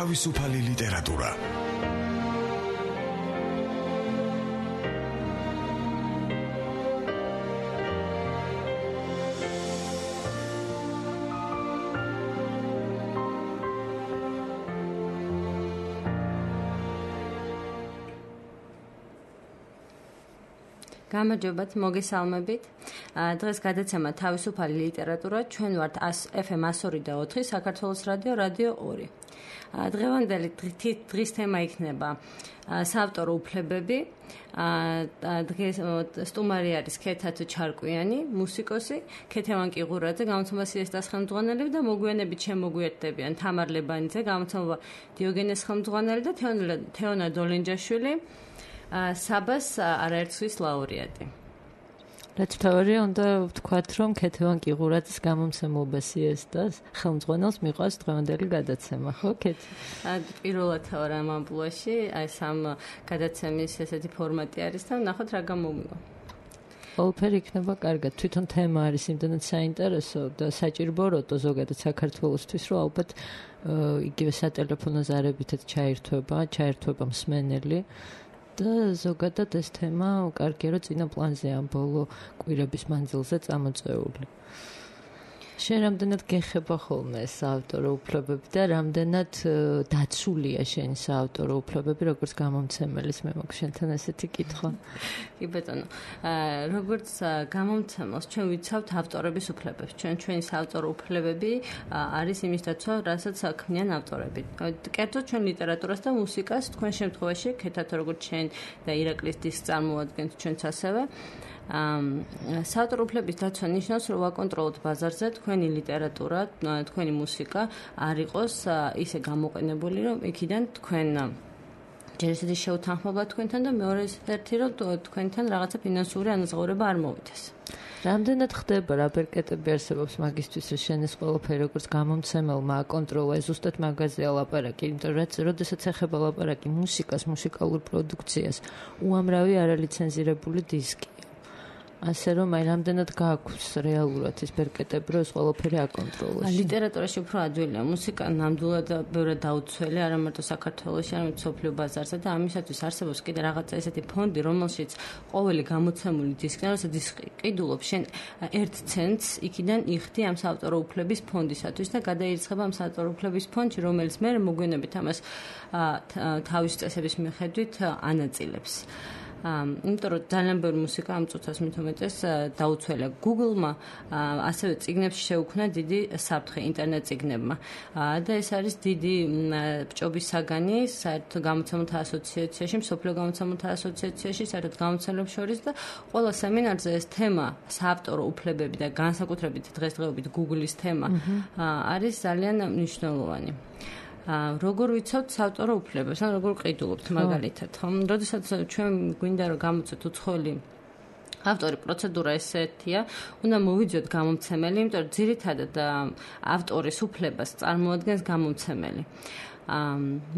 თავისუფალი ლიტერატურა. გამარჯობათ, მოგესალმებით. დღეს გადაცემა თავისუფალი ლიტერატურა. ჩვენ ვართ FM 102.4 საქართველოს რადიო 2. დღევანდელი დღის თემა იქნება საავტორო უფლებები. დღეს სტუმარი არის ქეთათ ჩარკვიანი, მუსიკოსი, ქეთევან კიღურაძე, გამოცემა სიესტას ხელმძღვანელი და მოგვიანებით შემოგვიერთდებიან თამარ ლებანიძე, გამოცემა დიოგენეს ხელმძღვანელი და თეონა დოლენჯაშვილი. საბას არაერთგზის ლაურეატი. რაც თავარია უნდა ვთქვათ, რომ ქეთევან კიღურაძის გამომცემლობა სიესტას ხელმძღვანელს მიყვარს დღევანდელი გადაცემა, ხო, ქეთი? პირველად ვარ ამ ამბულაში, აი სამ გადაცემის ესეთი ფორმატი არის და ნახოთ რა გამომიგო. ყველაფერი იქნება კარგად. თვითონ თემა არის იმდანაც საინტერესო და საჭიროა ზოგადად საქართველოსთვის, რომ ალბათ იგივე სატელეფონო ზარებითაც ჩაერთვება მსმენელი. და ზოგადად ეს თემა კარგია, რომ წინა პლანზე ამ ბოლო კვირების მანძილზე წამოწეული. შენ რამდენად გეხება ხოლმე ეს საავტორო უფლებები და რამდენად დაცულია შენი საავტორო უფლებები როგორც გამომცემელის? მე მაქვს შენთან ესეთი კითხვა. კი ბატონო, როგორც გამომცემელს ჩვენ ვიცავთ ავტორების უფლებებს. ჩვენი საავტორო უფლებები არის იმის დაცვა, რასაც ქმნიან ავტორები. კერძოდ ჩვენ ლიტერატურას და მუსიკას, თქვენ შემთხვევაში ქეთათ როგორც შენ და ირაკლის დისკს წარმოადგენთ ჩვენც ასევე. საავტორო უფლების დაცვა ნიშნავს, რომ ვაკონტროლოთ ბაზარზე თქვენი ლიტერატურა, თქვენი მუსიკა არ იყოს ისე გამოყენებული, რომ იქიდან თქვენ ჯერ ესეთი შეუთანხმება თქვენთან და მეორე ერთი, რომ თქვენთან რაღაცა ფინანსური ანაზღაურება არ მოვიდეს. რამდენად ხდება რა ბერკეტები არსებობს მაგისთვის, რომ შენ ეს ყველაფერი როგორც გამომცემელმა აკონტროლა, ზუსტად მაგაზია ლაპარაკი, იმიტომ რომ როდესაც ეხება ლაპარაკი მუსიკას, მუსიკალურ პროდუქციას, უამრავი არალიცენზირებული დისკი. ასე რომ აი რამდენად გააქვს რეალურად ის ბერკეტები, რომ ეს ყველაფერი აკონტროლოს. ლიტერატურაში უფრო ადვილია, მუსიკა ნამდვილად ბევრად დაუცველი, არა მარტო საქართველოში, არამედ მსოფლიო ბაზარზე და ამისათვის არსებობს კიდე რაღაცა ესეთი ფონდი, რომელშიც ყოველი გამოცემული დისკი, რასაც დისკი ყიდულობს, შენ 1 ცენტს იქიდან იხდი ამ საავტორო უფლების ფონდისათვის და გადაირიცხება ამ საავტორო უფლების ფონდში, რომელიც მე მოგვიანებით ამას თავის წესების მიხედვით ანაწილებს. იმიტომ რომ ძალიან ბევრი მუსიკა ამ წუთას მithumetes დაუცველია. Google-მა ასევე წიგნებში შეუქმნა დიდი საფრთხე ინტერნეტ წიგნებმა. და ეს არის დიდი ბჭობის საგანი საერთო გამოცემულთა ასოციაციაში, მსოფლიო გამოცემულთა ასოციაციაში, საერთოდ გამოცემლებს შორის და ყველა სემინარზე ეს თემა, საავტორო უფლებები და განსაკუთრებით დღესდღეობით Google-ის თემა არის ძალიან მნიშვნელოვანი. როგორ ვიცავთ საავტორო უფლებებს, ან როგორ ყიდულობთ მაგალითად, ხო? როდესაც ჩვენ გვინდა რომ გამოცეთ უცხოელი ავტორი, პროცედურა ესეთია, უნდა მოვიძიოთ გამომცემელი, იმიტომ რომ ძირითადად ავტორის უფლებას წარმოადგენს გამომცემელი.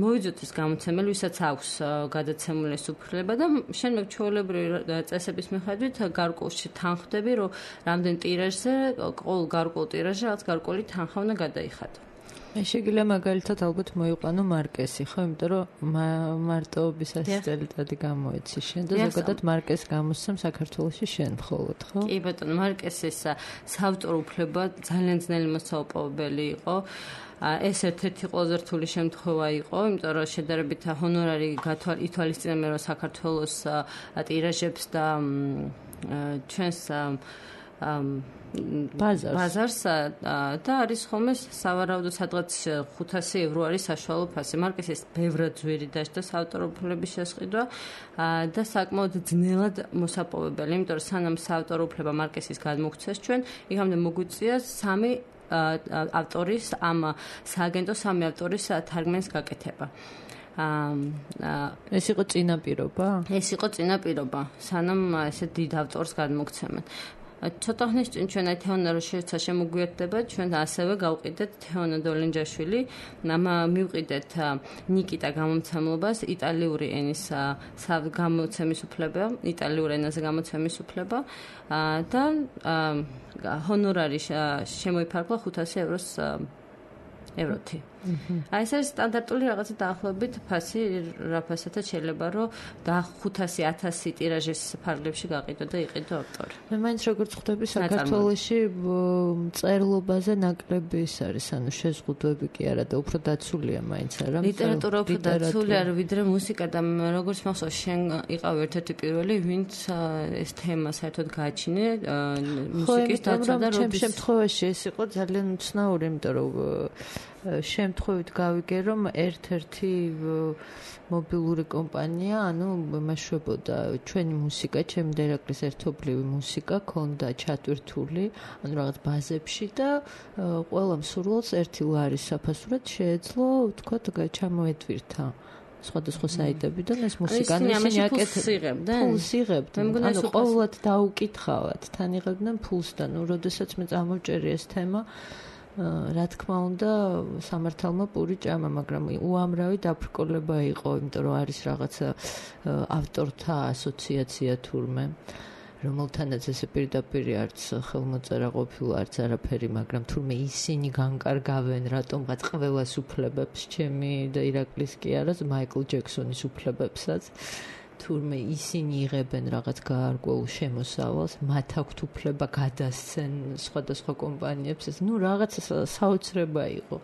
მოვიძიოთ ეს გამოცემელი, ვისაც აქვს გადაცემული ეს უფლება და შენ ჩვეულებრივი წესების მიხედვით გარკვეულში თანხმდები, რომ რამდენ ტირაჟზე, ყოველ გარკვეულ ტირაჟზე რაც გარკვეული თანხა უნდა გადაიხადო. შეგიძლია მაგალითად ალბათ მოიყვანო მარკესი, ხო, იმიტომ რომ მარტოობის ასისტენტად გამოეცი შენ და ზოგადად მარკეს გამოსცემ საქართველოში შენ მხოლოდ, ხო? კი ბატონო, მარკესის საავტორო უფლება ძალიან ძნელი მოსაუპებელი იყო. ეს ერთ-ერთი ყველაზე რთული შემთხვევა იყო, იმიტომ რომ შედარებით ჰონორარი ითვალისწინებენ რომ საქართველოს ტირაჟებს და ჩვენს ბაზარს და არის ხოლმე სავარაუდო სადღაც 500 евро არის საშუალო ფასი. მარკესის ბევრად ძვირი დაჭდა საავტორო უფლების შესყიდვა და საკმაოდ ძნელად მოსაპოვებელი, იმიტომ რომ სანამ საავტორო უფლება მარკესის გადმოგცეს ჩვენ, იქამდე მოგვიწია 3 ავტორის ამ სააგენტო 3 ავტორის თარგმანის გაკეთება. ეს იყო წინაპირობა? ეს იყო წინაპირობა, სანამ ესე დიდ ავტორს გადმოგცემენ. ცოტა ხნის წინ ჩვენ თეონა როშეცა შემოგვიერთდება, ჩვენ ასევე გავყიდეთ თეონა დოლენჯაშვილი, მივყიდეთ ნიკიტა გამომცემლობას, იტალიური ენის გამოცემის უფლება, იტალიურ ენაზე გამოცემის უფლება და ჰონორარი შემოიფარგლა 500 ევროთი. აი ეს არის სტანდარტული რაღაცა დაახლოებით ფასი, რა ფასათაც შეიძლება რომ 500-1000 ტირაჟის ფარგლებში გაყიდო და იყიდო ავტორი. მე მაინც როგორც ხვდები საქართველოში წერლობაზე ნაკლები ის არის, ანუ შეზღუდვები კი არა და უფრო დაცულია მაინც არა. ლიტერატურა უფრო დაცულია ვიდრე მუსიკა და როგორც მახსოვს შენ იყავ ერთ-ერთი პირველი, ვინც ეს თემა საერთოდ გააჩინე მუსიკის დაცვა და როდის შემთხვევაში ეს იყო ძალიან უცნაური, იმიტომ რომ შემთხვევით გავიგე რომ ერთ-ერთი მობილური კომპანია, ანუ მეშვებოდა ჩვენი მუსიკა, ჩემი და ირაკლის ერთობლივი მუსიკა ქონდა ჩატვირთული, ანუ რაღაც ბაზებში და ყველა მსურველს ერთი ლარის საფასურად შეეძლო, ვთქვათ, ჩამოეტვირთა სხვადასხვა საიტებიდან ეს მუსიკა, ისინი აკეთებდნენ. ფულს იღებდნენ. ანუ ყოველად დაუკითხავად, თან იღებდნენ ფულს და ნუ როდესაც მე წამოვჭერი ეს თემა რა თქმა უნდა სამართალმა პური ჭამა, მაგრამ უამრავი დაბრკოლება იყო, იმიტომ რომ არის რაღაცა ავტორთა ასოციაცია თურმე, რომელთანაც ესე პირდაპირ არც ხელმოწერა ყოფილა, არც არაფერი, მაგრამ თურმე ისინი განკარგავენ რატომღაც ყველას უფლებებს, ჩემი და ირაკლის კი არა, მაიკლ ჯექსონის უფლებებსაც. თურმე ისინი იღებენ რაღაც გაარკვეულ შემოსავალს, მათ აქვთ უფლება გადასცენ სხვადასხვა კომპანიებს, ეს ნუ რაღაც საოცრება იყო.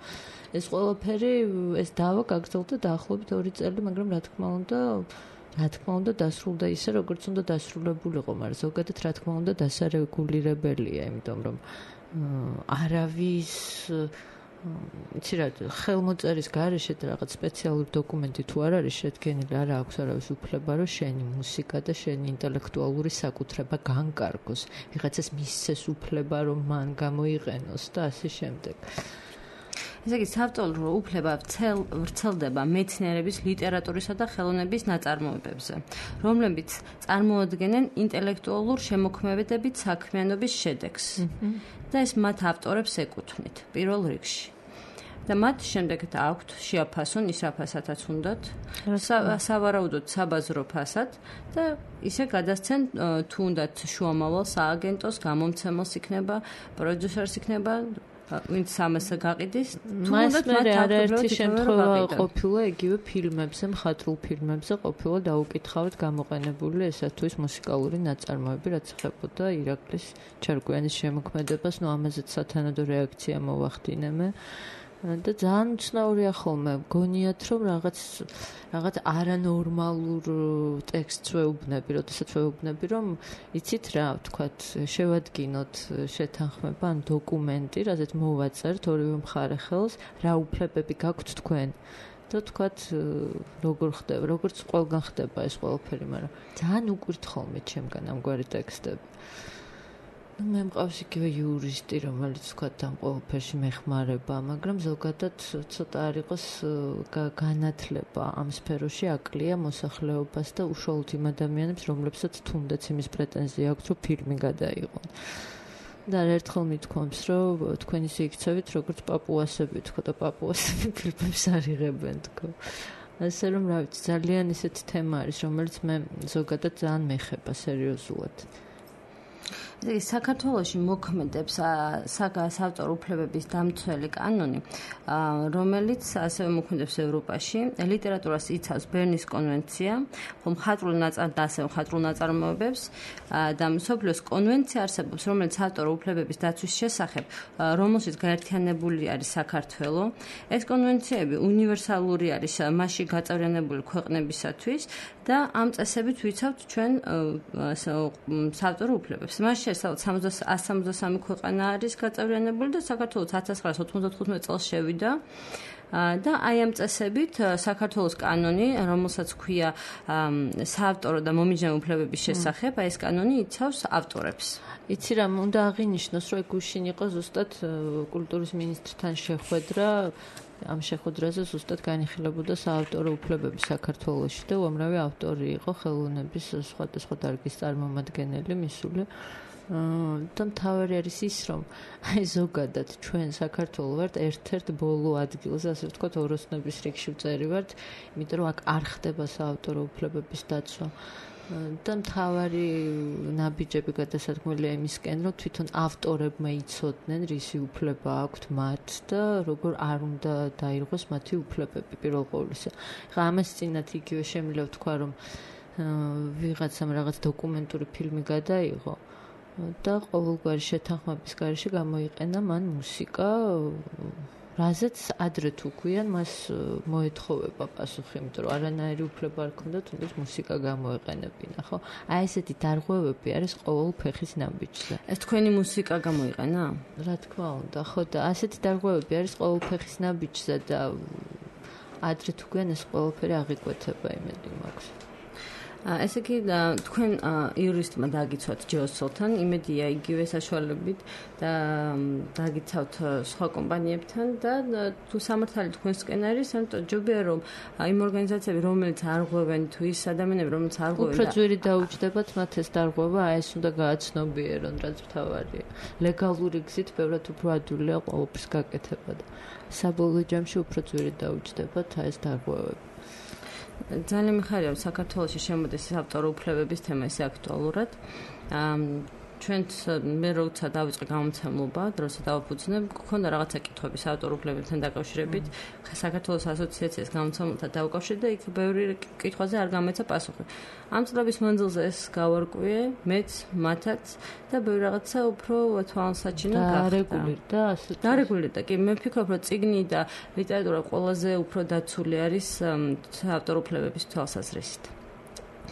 ეს ყველაფერი, ეს დავა გაგრძელდა დაახლოებით 2 წელი, მაგრამ რა თქმა უნდა დასრულდა ისე, როგორც უნდა დასრულებულიყო, მაგრამ ზოგადად რა თქმა უნდა დასარეგულირებელია, იმიტომ რომ არავის იცი რა, ხელმოწერის გარეშე რაღაც სპეციალური დოკუმენტი თუ არ არის შედგენილი, არ აქვს არავის უფლება, რომ შენი მუსიკა და შენი ინტელექტუალური საკუთრება განკარგოს. ვიღაცას მისცეს უფლება, რომ მან გამოიყენოს და ასე შემდეგ. ესე იგი, საავტორო უფლება ვრცელდება მეცნიერების, ლიტერატურისა და ხელოვნების ნაწარმოებებზე, რომლებიც წარმოადგენენ ინტელექტუალურ შემოქმედებით საქმიანობის შედეგს. და ეს მათ ავტორებს ეკუთვნით პირველ რიგში. და მათ შემდეგ აქვთ შეაფასონ ის რა ფასათაც უნდათ, სავარაუდოდ საბაზრო ფასად და ისე გადასცენ თუ უნდათ შუამავალ სააგენტოს, გამომცემელს იქნება, პროდიუსერს იქნება, ვინც ამას გაყიდის, თუ უნდათ მათ არაერთი შემთხვევა ყოფილა იგივე ფილმებზე, მხატვრულ ფილმებზე ყოფილა დაუკითხავთ გამოყენებული ესა თუ ის მუსიკალური ნაწარმოები, რაც ეხებოდა ირაკლის ჩარკვიანის შემოქმედებას, ნუ ამაზეც სათანადო რეაქცია მოვახდინე მე. და ძალიან უცნაურია ხოლმე, გონიათ რომ რაღაც არანორმალურ ტექსტს ვეუბნები, როდესაც ვეუბნები რომ იცით რა, ვთქვათ, შევადგინოთ შეთანხმება ან დოკუმენტი, რაზეც მოვაწერთ ორივე მხარე ხელს, რა უფლებები გაქვთ თქვენ. და ვთქვათ, როგორ ხდება, როგორც ყველგან ხდება ეს ყველაფერი, მაგრამ ძალიან უკვირთ ხოლმე ჩემგან ამგვარი ტექსტები. მე მყავს იგივე იურისტი, რომელიც ვთქვათ ამ ყველაფერში მეხმარება, მაგრამ ზოგადად ცოტა არ იყოს განათლება ამ სფეროში აკლია მოსახლეობას და უშუალოდ იმ ადამიანებს, რომლებსაც თუნდაც იმის პრეტენზია აქვს, რომ ფილმი გადაიღონ. და ერთხელ მithქვამს, რომ თქვენ ისე იქცევით, როგორც პაპუასები, თქო და პაპუასები ფილმებს არ იღებენ, თქო. ასე რომ რა ვიცი, ძალიან ისეთი თემა არის, რომელიც მე ზოგადად ძალიან მეხება სერიოზულად. საქართველოში მოქმედებს საავტორო უფლებების დამცველი კანონი, რომელიც ასევე მოქმედებს ევროპაში. ლიტერატურას იცავს ბერნის კონვენცია, ხოლო მხატვრულ ნაწარმოებებს და მსოფლიოს კონვენცია არსებობს, რომელიც ავტორო უფლებების დაცვის შესახებ, რომელშიც გაერთიანებული არის საქართველო. ეს კონვენციები უნივერსალური არის მასში გაწევრიანებული ქვეყნებისათვის და ამ წესებით ვიცავთ ჩვენ საავტორო უფლებებს. მასში 173 ქვეყანა არის გაწევრიანებული და საქართველოს 1995 წელს შევიდა და აი ამ წესებით საქართველოს კანონი, რომელსაც ქვია საავტორო და მომიჯნავე უფლებების შესახებ, აი ეს კანონი იცავს ავტორებს. იცი რა, უნდა აღინიშნოს, რომ გუშინ იყო ზუსტად კულტურის მინისტრთან შეხვედრა, ამ შეხვედრაზე ზუსტად განიხილებოდა საავტორო უფლებები საქართველოში და უამრავი ავტორი იყო ხელოვნების სხვადასხვა დარგის წარმომადგენელი მისული. და მთავარი არის ის, რომ აი ზოგადად ჩვენ საქართველო ვართ ერთ-ერთ ბოლო ადგილზე, ასე ვთქვათ, ოროსნების რიგში ვწერი ვართ, იმიტომ რომ აქ არ ხდება საავტორო უფლებების დაცვა. და მთავარი ნაბიჯები გადასადგმელია იმისკენ, რომ თვითონ ავტორებმა იცოდნენ, რისი უფლება აქვთ მათ და როგორ არ უნდა დაირღვეს მათი უფლებები პირველ ყოვლისა. ხა ამას წინათ იგივე შემიძლია ვთქვა, რომ ვიღაცამ რაღაც დოკუმენტური ფილმი გადაიღო და ყოველგვარი შეთანხმების გარეშე გამოიყენა მან მუსიკა, რაზეც ადრე თუ ქვიან მას მოეთხოვება პასუხი, იმიტომ რომ არანაირი უფლება არ ქონდა თუნდაც მუსიკა გამოეყენებინა, ხო? აი ესეთი დარღვევები არის ყოველ ფეხის ნაბიჯზე. ეს თქვენი მუსიკა გამოიყენა? რა თქმა უნდა, ხო და ასეთი დარღვევები არის ყოველ ფეხის ნაბიჯზე და ადრე თუ ქვიან ეს ყველაფერი აღიკვეთება, იმედი მაქვს. ესე იგი თქვენ იურისტმა დაგიცვათ ჯეოსოლთან, იმედია იგივე საშუალებით და დაგიცავთ სხვა კომპანიებთან და თუ სამართალი თქვენსკენ არის, ამიტომ ჯობია რომ იმ ორგანიზაციები, რომელიც არღვევენ თუ ის ადამიანები, რომელიც არღვევენ უფრო ძვირი დაუჯდებათ მათ ეს დარღვევა, ეს უნდა გააცნობიერონ, რაც მთავარია. ლეგალური გზით ბევრად უფრო ადვილია ყოველფრის გაკეთება და საბოლოო ჯამში უფრო ძვირი დაუჯდებათ ეს დარღვევები. ძალიან მიხარია საქართველოში შემოდის ავტორ უფლებების თემა ისე აქტუალურად. ჩვენც მე როცა დავიწყე გამომცემლობა, დროსაც დავაფუძნებ, გქონდა რაღაცა კითხვების ავტორ უფლებებთან დაკავშირებით. საქართველოს ასოციაციას გამომცემლთა დაუკავშირდა, იქ ბევრი კითხვაზე არ გამოეცა პასუხი. ამ წლების მანძილზე ეს გავარკვიე, მეც, მათაც და ბევრი რაღაცა უფრო თვალსაჩინო გახდა. დარეგულირდა, კი, მე ვფიქრობ, რომ წიგნი და ლიტერატურა ყველაზე უფრო დაცული არის ავტორ უფლებების თვალსაზრისით.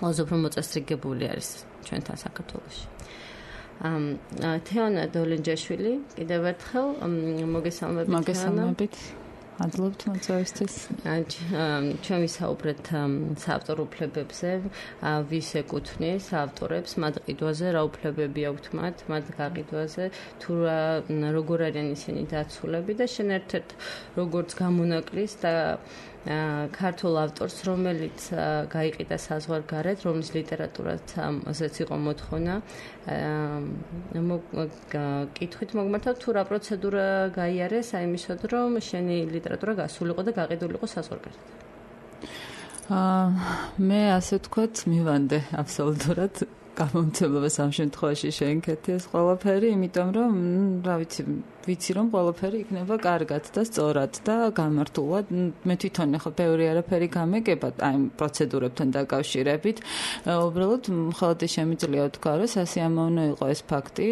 ყველაზე უფრო მოწესრიგებული არის ჩვენთან საქართველოში. თეონა დოლენჯაშვილი, კიდევ ერთხელ მოგესალმებით. Adlobთ მოწვევისთვის. ჩვენ ვისაუბრეთ საავტორო უფლებებზე, ვის ეკუთვნის ავტორებს, მათ ყიდვაზე, რა უფლებები აქვთ მათ გაყიდვაზე, თუ როგორ არიან ისინი დაცულები და შენ ერთ-ერთ როგორც გამონაკლის და ქართულ ავტორს, რომელიც გაიყიდა საზღვარგარეთ, რომლის ლიტერატურაზეც იყო მოთხოვნა, კითხვით მოგმართავ, თუ რა პროცედურა გაიარეს აი მისოდ, რომ შენი ლიტერატურა გასულიყო და გაყიდულიყო საზღვარგარეთ? მე ასე ვთქვათ, მივანდე აბსოლუტურად გამომცემლობას ამ შემთხვევაში შენქეთი ეს ყველაფერი, იმიტომ რომ, რა ვიცი რომ ყველაფერი იქნება კარგად და სწორად და გამართულად. მე თვითონ ახლა ბევრი არაფერი გამეკება აი პროცედურებთან დაკავშირებით. უბრალოდ მხოლოდ შემიძლია ვთქვა, რომ სასიამოვნო იყო ეს ფაქტი,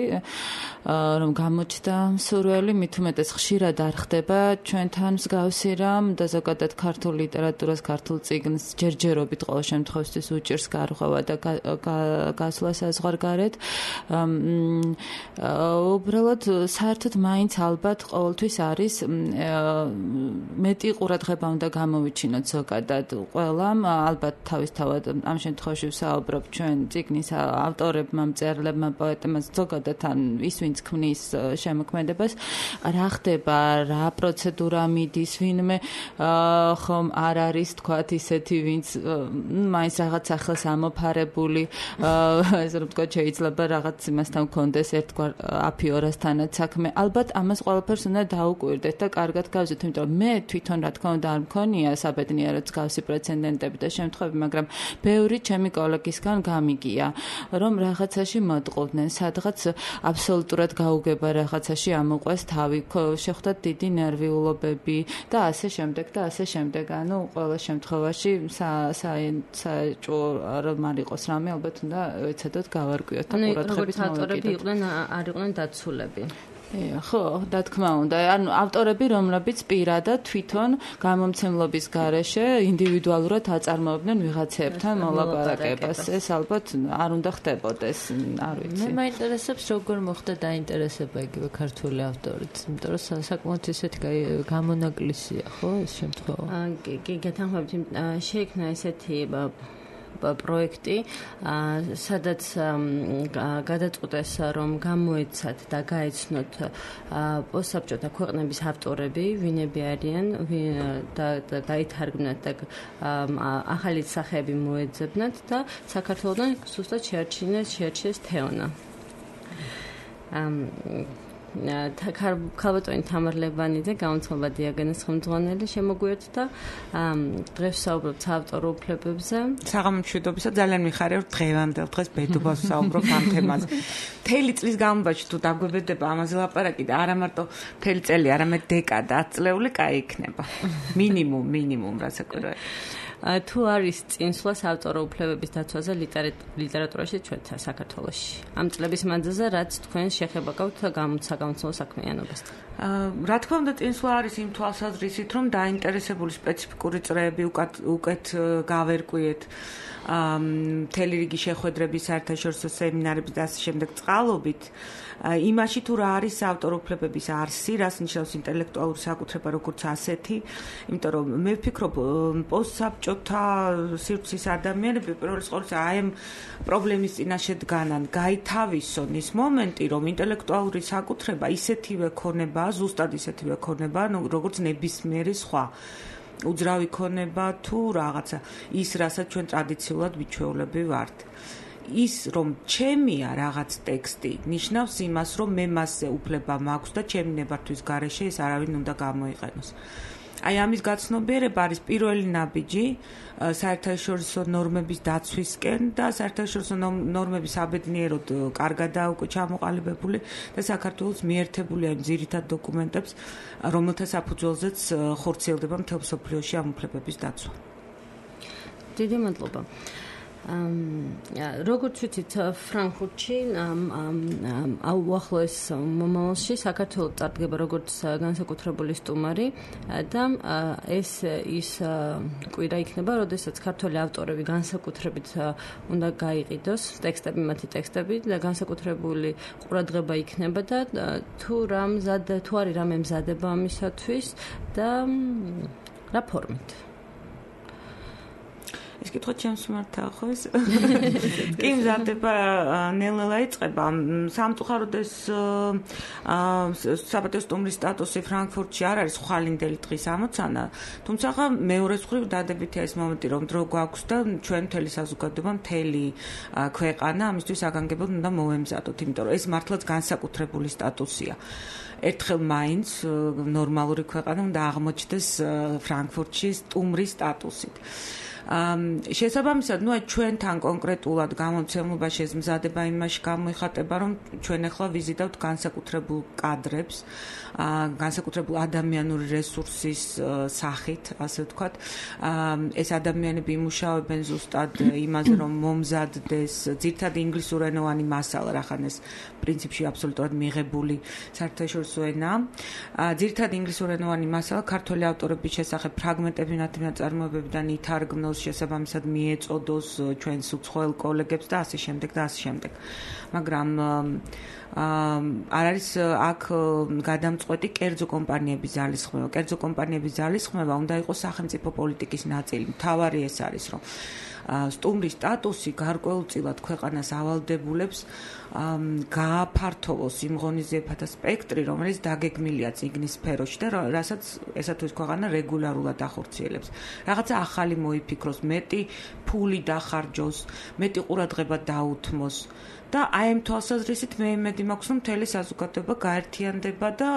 რომ გამოჩნდა მსურველი, მით უმეტეს ხშირად არ ხდება ჩვენთან მსგავსი რამ და ზოგადად ქართულ ლიტერატურას, ქართულ წიგნს ჯერჯერობით ყოველ შემთხვევაში უჭირს გარღვევა და გასვლა საზღვარგარეთ. უბრალოდ საერთოდ მაინც ალბათ ყოველთვის არის მეტი ყურადღება უნდა გამოვიჩინოთ ზოგადად ყველამ, ალბათ თავისთავად ამ შემთხვევაში ვსაუბრობ ჩვენ წიგნის ავტორებმა, მწერლებმა, პოეტებმა, ზოგადად ან ის ვინც ქმნის შემოქმედებას, რა ხდება, რა პროცედურა მიდის, ვინმე ხომ არ არის თქვათ ისეთი, ვინც მაინც რაღაც ახალს ამოფარებული, ესე რომ ვთქვათ, შეიძლება რაღაც იმასთან კონდეს ერთგვარ აფიორასთანაც საქმე. ალბათ ამას ყველაფერს უნდა დაუკვირდეთ და კარგად გავზეთ, იმიტომ რომ მე თვითონ რა თქმა უნდა არ მქონია საბედნიეროდ მსგავსი პრეცედენტები და შემთხვევები, მაგრამ ბევრი ჩემი კოლეგისგან გამიგია, რომ რაღაცაში მოტყუდნენ, სადღაც აბსოლუტურად გაუგება რაღაცაში ამოყვეს თავი, შეხვდათ დიდი ნერვიულობები და ასე შემდეგ და ასე შემდეგ. ანუ ყველა შემთხვევაში საჭირო რომ არ იყოს რამე, ალბათ უნდა ეცადოთ გავარკვიოთ და ყურადღებით მოვეკიდოთ. არ იყვნენ დაცულები. ხო, რა თქმა უნდა. ანუ ავტორები, რომლებიც პირადად თვითონ გამომცემლობის გარეშე ინდივიდუალურად აწარმოებდნენ ვიღაცებთან მოლაპარაკებას. ეს ალბათ არ უნდა ხდებოდეს, არ ვიცი. მე მაინტერესებს როგორ მოხდა დაინტერესება იგივე ქართული ავტორით, იმიტომ რომ საკმაოდ ისეთი გამონაკლისია, ხო, ეს შემთხვევა. კი, გეთანხმებით, შეიქმნა ესეთი პროექტი, სადაც გადაწყვეტეს, რომ გამოეცათ და გაეცნოთ პოსტსაბჭოთა ქვეყნების ავტორები, ვინები არიან და გაითარგმნათ და ახალი სახეები მოეძებნათ და საქართველოდან სუსტად შეარჩიეს თეონა. ქალბატონი თამარ ლებანიძე, გამომცემლობა დიაგენეს ხელმძღვანელი შემოგვიერთდა. დღეს ვსაუბრობთ საავტორო უფლებებზე. საღამომშვიდობისა, ძალიან მიხარია, რომ დღევანდელ დღეს ბედობას ვსაუბრობ ამ თემაზე. მთელი წლის განმავლობაში თუ დაგვებედება ამაზე ლაპარაკი და არა მარტო მთელი წელი, არამედ დეკადა, 10 წლეული კაი იქნება. მინიმუმ რასაკვირველია. თუ არის წინსვლა საავტორო უფლებების დაცვაზე ლიტერატურაში ჩვენთან საქართველოში. ამ წლების მანძილზე რაც თქვენ შეხება გაქვთ გამოცემულ საქმიანობასთან. რა თქმა უნდა, წინსვლა არის იმ თვალსაზრისით, რომ დაინტერესებული სპეციფიკური წრეები უკეთ გავერკვიეთ. მთელი რიგი შეხვედრების, საერთაშორისო სემინარების და ასე შემდეგ წყალობით. იმაში თუ რა არის საავტორო უფლებების არსი, რას ნიშნავს ინტელექტუალური საკუთრება როგორც ასეთი, იმიტომ რომ მე ვფიქრობ, პოსტსაბჭოთა სივრცის ადამიანები პირველ რიგში აი ამ პრობლემის წინაშე დგანან, გაითავისონ ის მომენტი, რომ ინტელექტუალური საკუთრება ისეთივე ქონება, ზუსტად ისეთივე ქონება, როგორც ნებისმიერი სხვა უძრავი ქონება თუ რაღაცა ის, რასაც ჩვენ ტრადიციულად მიჩვეულები ვართ. ის რომ ჩემია რაღაც ტექსტი ნიშნავს იმას, რომ მე მასზე უფლება მაქვს და ჩემი ნებართვის გარეშე ეს არავინ უნდა გამოიყენოს. აი ამის გაცნობიერება არის პირველი ნაბიჯი საერთაშორისო ნორმების დაცვისკენ და საერთაშორისო ნორმების აბედნიეროდ კარგადაა უკვე ჩამოყალიბებული და საქართველოს მიერთებული ამ ძირითად დოკუმენტებს, რომელთა საფუძველზეც ხორციელდება მთელ მსოფლიოში ამ უფლებების დაცვა. დიდი მადლობა. როგორც ვიცით, ფრანკფურტში უახლოეს მომავალში საქართველოს წარდგება როგორც განსაკუთრებული სტუმარი და ეს ის კვირა იქნება, როდესაც ქართველი ავტორები განსაკუთრებით უნდა გაიყიდოს მათი ტექსტები და განსაკუთრებული ყურადღება იქნება და თუ არის რამე მზადება ამისათვის და რა ფორმით. ეს კითხვა ჩემს მიმართ ახოს. კი მზადდება ნელ-ნელა იწყება. სამწუხაროდ ეს საპატიო სტუმრის სტატუსი ფრანკფურტში არ არის ხვალინდელი დღის ამოცანა, თუმცა მეორე მხრივ დადებითია ეს მომენტი, რომ დრო გვაქვს და ჩვენ მთელი საზოგადოება, მთელი ქვეყანა ამისთვის საგანგებოდ უნდა მოვემზადოთ, იმიტომ რომ ეს მართლაც განსაკუთრებული სტატუსია. ერთხელ მაინც ნორმალური ქვეყანა უნდა აღმოჩნდეს ფრანკფურტში სტუმრის სტატუსით. შესაბამისად, ჩვენთან კონკრეტულად გამოცემლობაში ეს მზადება იმაში გამოიხატება, რომ ჩვენ ახლა ვიზიტავთ განსაკუთრებულ კადრებს, განსაკუთრებულ ადამიანური რესურსის სახით, ასე ვთქვათ. ეს ადამიანები იმუშავებენ ზუსტად იმაზე, რომ მომზადდეს ძირითადად ინგლისურენოვანი მასალა, რახან ეს პრინციპში აბსოლუტურად მიღებული საერთაშორისო ენა. ძირითადად ინგლისურენოვანი მასალა ქართველი ავტორების შესახებ ფრაგმენტები ნაწარმოებებიდან ითარგმნოს, შესაბამისად მიეწოდოს ჩვენს უცხოელ კოლეგებს და ასე შემდეგ და ასე შემდეგ. მაგრამ არ არის აქ გადამწყვეტი კერძო კომპანიების ძალისხმევა. კერძო კომპანიების ძალისხმევა უნდა იყოს სახელმწიფო პოლიტიკის ნაწილი. მთავარი ეს არის, რომ სტუმრის სტატუსი გარკვეულწილად ქვეყანას ავალდებულებს გააფართოვოს იმ ღონისძიებათა სპექტრი, რომელიც დაგეგმილია წიგნის სფეროში და რასაც ესა თუ ის ქვეყანა რეგულარულად ახორციელებს. რაღაცა ახალი მოიფიქროს, მეტი ფული დახარჯოს, მეტი ყურადღება დაუთმოს. და აი ამ თვალსაზრისით მე იმედი მაქვს, რომ მთელი საზოგადოება გაერთიანდება და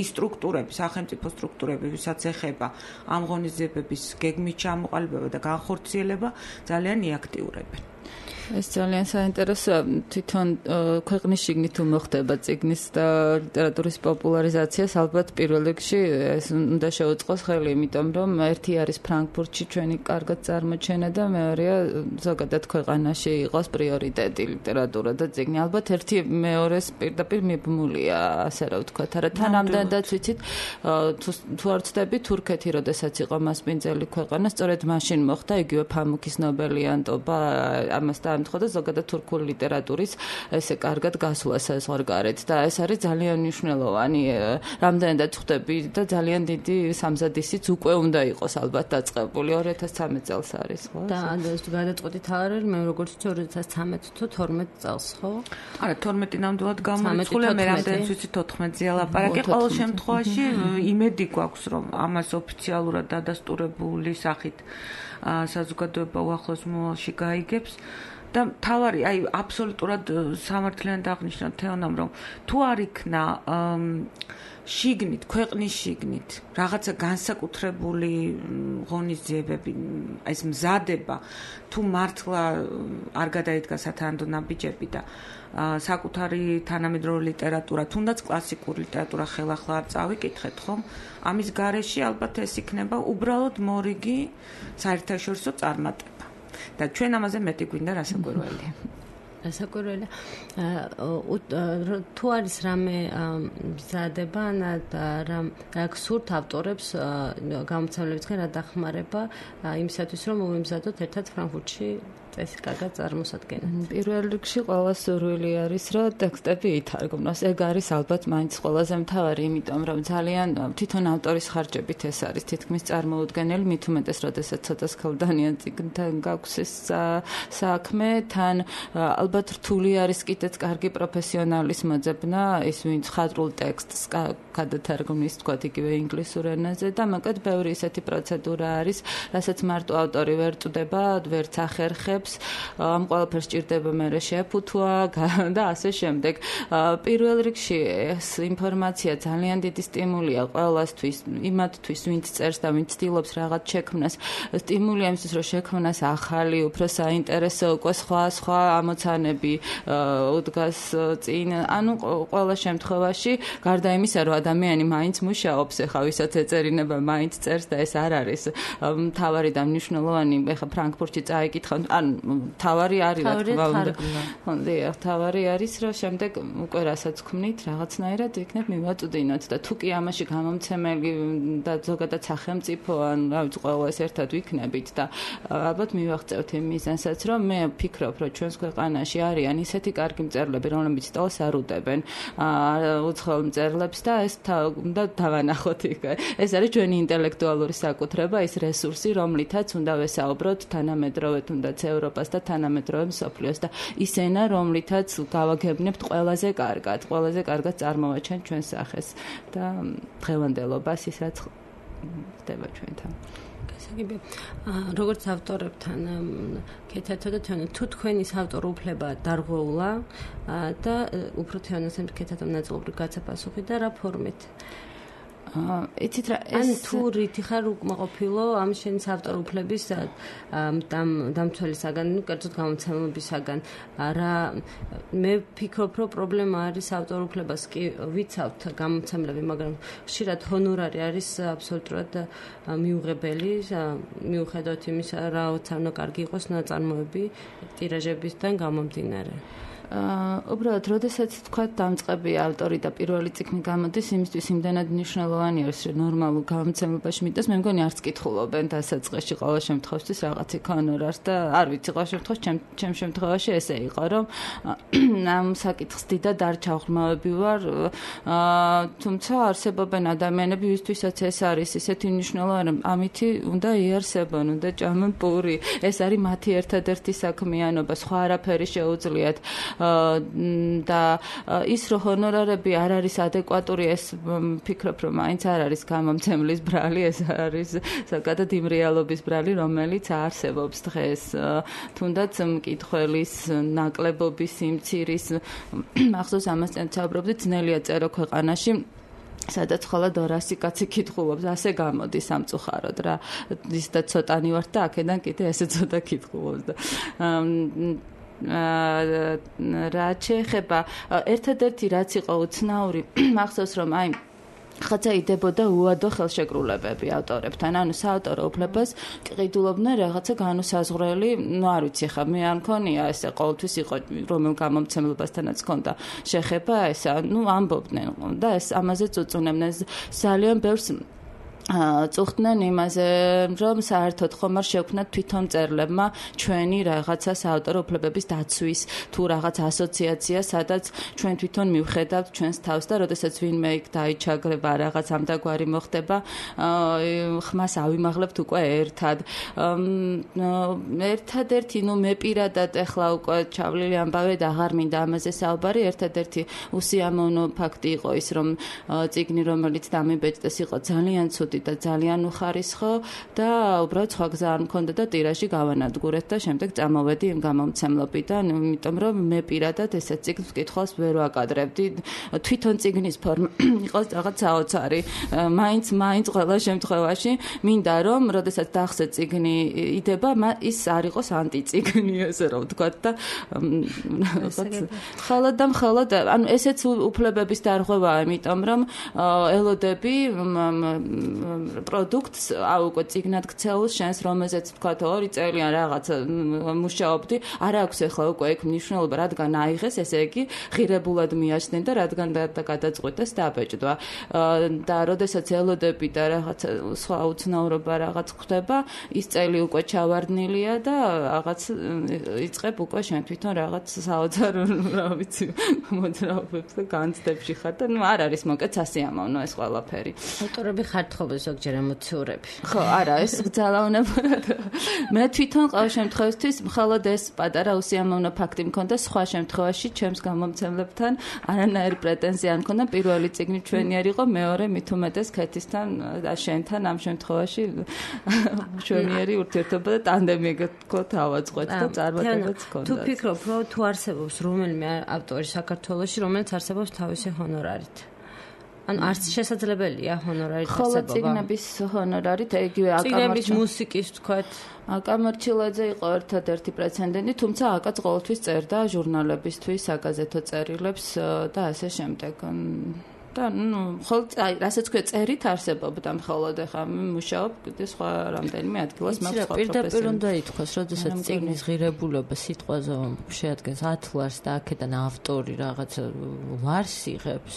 ის სტრუქტურები, სახელმწიფო სტრუქტურები, ვისაც ეხება ამ ღონისძიებების გეგმით ჩამოყალიბება და განხორციელება, ძალიან იაქტიურებენ. ეს ძალიან საინტერესოა. თვითონ ქვეყნის შიგნით თუ მოხდება წიგნის და ლიტერატურის პოპულარიზაციას, ალბათ პირველ რიგში ეს უნდა შეუწყოს ხელი, იმიტომ რომ ერთი არის ფრანკფურტში ჩვენი კარგად წარმოჩენა და მეორეა ზოგადად ქვეყანაში იყოს პრიორიტეტი ლიტერატურა და წიგნი. ალბათ ერთი მეორეს პირდაპირ მიბმულია, ასე რა ვთქვათ. არა თან ამდენადაც ვიცით, თუ არ ვცდები, თურქეთი, როდესაც იყო მასპინძელი ქვეყანა, სწორედ მაშინ მოხდა იგივე ფამუქის ნობელიანტობა ამასთან ამთხოვდა ზოგადად თურქული ლიტერატურის ესე კარგად გასვლა საზღვარგარეთ და ეს არის ძალიან მნიშვნელოვანი. რამდენადაც ხვდები და ძალიან დიდი სამზადისიც უკვე უნდა იყოს ალბათ დაწყებული 2013 წელს არის, ხო? და ეს გადაწყვეტით არ არის, მე როგორც ვიცი 2013 თუ 12 წელს, ხო? არა, 12 ნამდვილად გამორიცხულია, მე რამდენიც ვიცი 14-ზე ლაპარაკი. ყოველ შემთხვევაში იმედი გვაქვს, რომ ამას ოფიციალურად დადასტურებული სახით საზოგადოება უახლოს მომავალში გაიგებს. და თავარი აი აბსოლუტურად სამართლიანად აღნიშნა თეონამ რომ თუ არ იქნა შიგნით ქვეყნის შიგნით რაღაცა განსაკუთრებული ღონისძიებები ეს მზადება თუ მართლა არ გადაიდგა სათანადო ნაბიჯები და საკუთარი თანამედროვე ლიტერატურა თუნდაც კლასიკური ლიტერატურა ხელახლა არ წავიკითხეთ ხომ ამის გარეშე ალბათ ეს იქნება უბრალოდ მორიგი საერთაშორისო წარმატება და ჩვენ ამაზე მეტი გვინდა რასაკვირველია. რასაკვირველია. თუ არის რამე მზადება ან რა გსურთ ავტორებს გამოცემლებისგან რა დახმარება იმისათვის რომ მომემზადოთ ერთად ფრანკფურტში წესი კარგად წარმოსადგენთ. პირველ რიგში ყველა სურვილი არის რომ ტექსტები ითარგმნოს. ეგ არის ალბათ მაინც ყველაზე მთავარი, იმიტომ რომ ძალიან თვითონ ავტორის ხარჯებით ეს არის თითქმის წარმოუდგენელი, მით უმეტეს, როდესაც ცოტა სქელდანიან წიგნთან გაქვს ეს საქმე, თან ალბათ რთული არის კიდეც კარგი პროფესიონალის მოძებნა, ის ვინც ხატრულ ტექსტს გადათარგმნის, თქვათ იგივე ინგლისურ ენაზე და მაგათ ბევრი ისეთი პროცედურა არის, რასაც მარტო ავტორი ვერ წდება, ვერც ახერხებს ამ ყველაფერს ჭირდება მერე შეფუთვა და ასე შემდეგ. პირველ რიგში ეს ინფორმაცია ძალიან დიდი სტიმულია ყველასთვის, იმათთვის, ვინც წერს და ვინც ცდილობს რაღაც შექმნას. სტიმულია იმისთვის, რომ შექმნას ახალი, უფრო საინტერესო, უკვე სხვა ამოცანები უდგას წინ. ანუ ყველა შემთხვევაში, გარდა იმისა, რომ ადამიანი მაინც მუშაობს, ეხლა ვისაც ეწერინება, მაინც წერს და ეს არ არის მთავარი და მნიშვნელოვანი. ეხლა ფრანკფურტში წაიკითხავ, ან თავარი არის რა თქმა უნდა. დიახ, თავარი არის, რომ შემდეგ უკვე რასაც ქმნით, რაღაცნაირად იქნებ მივაწვდინოთ და თუ კი ამაში გამომცემელი და ზოგადად სახელმწიფო ან რა ვიცი, ყველა ეს ერთად ვიქნებით და ალბათ მივაღწევთ იმ მიზანსაც, რომ მე ვფიქრობ, რომ ჩვენს ქვეყანაში არიან ისეთი კარგი მწერლები, რომლებიც სტოლს არ უდებენ უცხოელ მწერლებს და ეს უნდა დავანახოთ იქ. ეს არის ჩვენი ინტელექტუალური საკუთრება, ის რესურსი, რომლითაც უნდა ვესაუბროთ თანამედროვე თუნდაც ევროპას და თანამედროვე მსოფლიოს და ის ენა, რომლითაც გავაგებნებთ ყველაზე კარგად წარმოვაჩენთ ჩვენს სახეს და დღევანდელობას ის რაც ხდება ჩვენთან. გასაგებია. როგორც ავტორებთან კეთათო და თქვენ თუ თქვენი ავტორ უფლება დარღვეულა და უფრო თეონასთან კეთათომ ნაწილობრივ გაცაფასუხი და რა ფორმით? იცით რა ეს თუ რითი ხარ უკმაყოფილო ამ შენის ავტორ უფლების დამცველისაგან, ну, კერძოდ გამოცემებისაგან. რა მე ვფიქრობ, რომ პრობლემა არის ავტორ უფლებას კი ვიცავთ გამოცემლები, მაგრამ ხშირად ჰონორარი არის აბსოლუტურად მიუღებელი, მიუხედავად იმისა, რაოცა უნდა კარგი იყოს ნაწარმოები ტირაჟებისგან გამომდინარე. უბრალოდ, როდესაც თქვა დამწყებია ავტორი და პირველი წიგნი გამოდის, იმისთვის იმდანად მნიშვნელოვანი არის, რომ ნორმალურ გამოცემებაში მიტოს, მე მგონი არც კითხულობენ დასაწყისში ყოველ შემთხვევაში რაღაც იქ ჰონორარს და არ ვიცი, ყოველ შემთხვევაში ჩემ შემთხვევაში ესე იყო, რომ ამ საკითხს დიდად არ ჩავღრმავები ვარ, თუმცა არსებობენ ადამიანები, ვისთვისაც ეს არის ისეთი მნიშვნელოვანი, რომ ამითი უნდა იარსებონ, უნდა ჭამონ პური. ეს არის მათი ერთადერთი საქმიანობა, სხვა არაფერი შეუძლიათ. და ის რომ ჰონორარები არ არის ადეკვატური, ეს ვფიქრობ, რომ მაინც არ არის გამომცემლის ბრალი, ეს არის ზოგადად იმ რეალობის ბრალი, რომელიც არსებობს დღეს. თუნდაც მკითხველის ნაკლებობის სიმცირის მახსოვს ამასთან ვსაუბრობდი, ძნელია წერო ქვეყანაში, სადაც ხოლმე 200 კაცი კითხულობს, ასე გამოდის სამწუხაროდ რა. ის და ცოტანი ვარ და აქედან კიდე ესე ცოტა კითხულობს და რაც შეეხება ერთადერთი რაც იყო უცნაური, მახსოვს რომ აი ხაცა იდებოდა უადო ხელშეკრულებები ავტორებთან, ანუ საავტორო უფლებას ყიდულობდნენ რაღაცა განუსაზღვრელი, ну არ ვიცი ხა მე არ მქონია ესე ყოველთვის იყო რომელ გამომცემლებასთანაც ჰქონდა შეხება ესა, ну ამბობდნენ და ეს ამაზე წუწუნებდნენ ძალიან ბევრს წუხდნენ იმაზე, რომ საერთოდ ხომ არ შექმნათ თვითონ მწერლებმა ჩვენი რაღაცა საავტორო უფლებების დაცვის თუ რაღაც ასოციაცია, სადაც ჩვენ თვითონ მივხედავთ ჩვენს თავს და როდესაც ვინმე იქ დაიჩაგრება რაღაც ამდაგვარი მოხდება, ხმას ავიმაღლებთ უკვე ერთად. ერთადერთი, ну მე პირადად ეხლა უკვე ჩავლილი ამბავე და აღარ მინდა ამაზე საუბარი, ერთადერთი უსიამოვნო ფაქტი იყო ის, რომ წიგნი, რომელიც დამიბეჭდეს, იყო ძალიან ცუდი ვიყავდი და ძალიან უხარისხო და უბრალოდ სხვა გზა არ მქონდა და ტირაჟი გავანადგურეთ და შემდეგ წამოვედი იმ გამომცემლობიდან, იმიტომ რომ მე პირადად ესეთ წიგნს კითხვას ვერ ვაკადრებდი. თვითონ წიგნის ფორმა იყოს რაღაც საოცარი. მაინც ყველა შემთხვევაში მინდა რომ როდესაც დახსე წიგნი იდება, ის არ იყოს ანტიწიგნი, ესე რომ ვთქვათ და მხოლოდ ანუ ესეც უფლებების დარღვევაა, იმიტომ რომ ელოდები პროდუქტს უკვე წიგნად ქცეულს შენს რომელზეც ვთქვათ 2 წელი ან რაღაც მუშაობდი, არ აქვს ახლა უკვე ეგ მნიშვნელობა, რადგან აიღეს, ესე იგი ღირებულად მიაჩნდნენ და რადგან გადაწყვიტეს დაბეჭდვა. და როდესაც ელოდები და რაღაც სხვა უცნაურობა რაღაც ხდება, ის წელი უკვე ჩავარდნილია და რაღაც იწყებ უკვე შენ თვითონ რაღაც საოცარ რა ვიცი მოძრაობებს და განცდებში ხარ და არ არის მოკეთ სასიამოვნო ეს ყველაფერი. ავტორები ხართ ხოლმე ზოგჯერ ემოციურები. ხო, არა, ეს ძალაუნებურად. მე თვითონ ყოველ შემთხვევაში მხოლოდ ეს პატარა უსიამოვნო ფაქტი მქონდა, სხვა შემთხვევაში ჩემს გამომცემლებთან არანაირი პრეტენზია არ მქონდა. პირველი წიგნი ჩვენი არ იყო, მეორე მით უმეტეს ქეთისთან და შენთან ამ შემთხვევაში ჩვენიერი ურთიერთობა და ტანდემი ეგეთ ავაწყოთ და წარმატებაც ჰქონდა. თუ ფიქრობ, რომ თუ არსებობს რომელიმე ავტორი საქართველოში, რომელიც არსებობს თავისი ჰონორარით. ანუ არც შესაძლებელია ჰონორარით არსებობა. ხოლო წიგნების ჰონორარით იგივე წიგნების მუსიკის ვთქვათ. აკამარჩილაძე იყო ერთადერთი პრეცედენტი, თუმცა აკაც ყოველთვის წერდა ჟურნალებისთვის, საგაზეთო წერილებს და ასე შემდეგ. და ხოლმე რასაც ქვია წერით არსებობდა მხოლოდ ახლა მუშაობ კიდე სხვა რამდენიმე ადგილას მაქვს სხვა პროფესიები. პირდაპირ უნდა ითქვას, როდესაც წიგნის ღირებულება სიტყვაზე შეადგენს 10 ლარს და აქედან ავტორი რაღაც ლარს იღებს,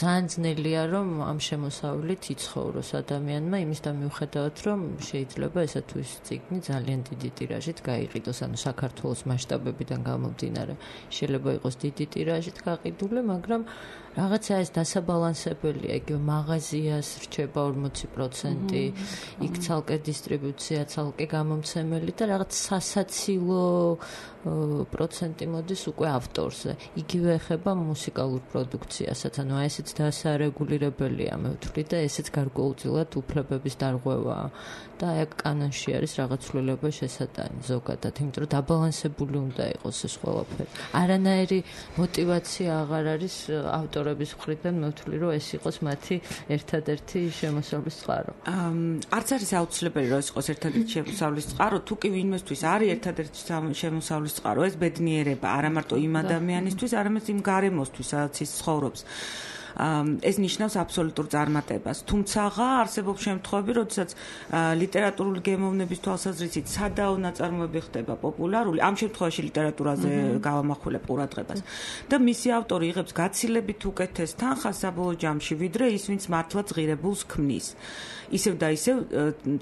ძალიან ძნელია რომ ამ შემოსავლით იცხოვროს ადამიანმა, იმის და მიუხედავად რომ შეიძლება ესა თუ ის წიგნი ძალიან დიდი ტირაჟით გაიყიდოს, ანუ საქართველოს მასშტაბებიდან გამომდინარე შეიძლება იყოს დიდი ტირაჟით გაყიდული, მაგრამ რაღაცა ეს დასაბალანსებელია, იგივე მაღაზიას რჩება 40%, იქ ცალკე დისტრიბუცია, ცალკე გამომცემელი და რაღაც სასაცილო პროცენტი მოდის უკვე ავტორზე. იგივე ეხება მუსიკალურ პროდუქციასაც, ანუ ესეც დასარეგულირებელია, მე ვთვლი და ესეც გარკვეულწილად უფლებების დარღვევაა. და ეგ კანონში არის რაღაც ცვლილება შესატანი ზოგადად, იმიტომ რომ დაბალანსებული უნდა იყოს ეს ყველაფერი. არანაირი мотиваცია აღარ არის ავტორების მხრიდან, მე ვთვლი რომ ეს იყოს მათი ერთადერთი შემოსავლის წყარო. არც არის აუცილებელი რომ ეს იყოს ერთადერთი შემოსავლის წყარო, თუ კი ვინმესთვის არის ერთადერთი შემოსავლის წყარო, ეს ბედნიერება, არა მარტო იმ ადამიანისთვის, არამედ იმ გარემოსთვის, სადაც ის ცხოვრობს. ეს ნიშნავს აბსოლუტურ წარმატებას. თუმცა არსებობს შემთხვევები, როდესაც ლიტერატურული გემოვნების თვალსაზრისით სადაო ნაწარმოები ხდება პოპულარული, ამ შემთხვევაში ლიტერატურაზე გავამახვილებ ყურადღებას. და მისი ავტორი იღებს გაცილებით უკეთეს თანხას საბოლოო ჯამში, ვიდრე ის, ვინც მართლაც ღირებულს ქმნის. ისევ და ისევ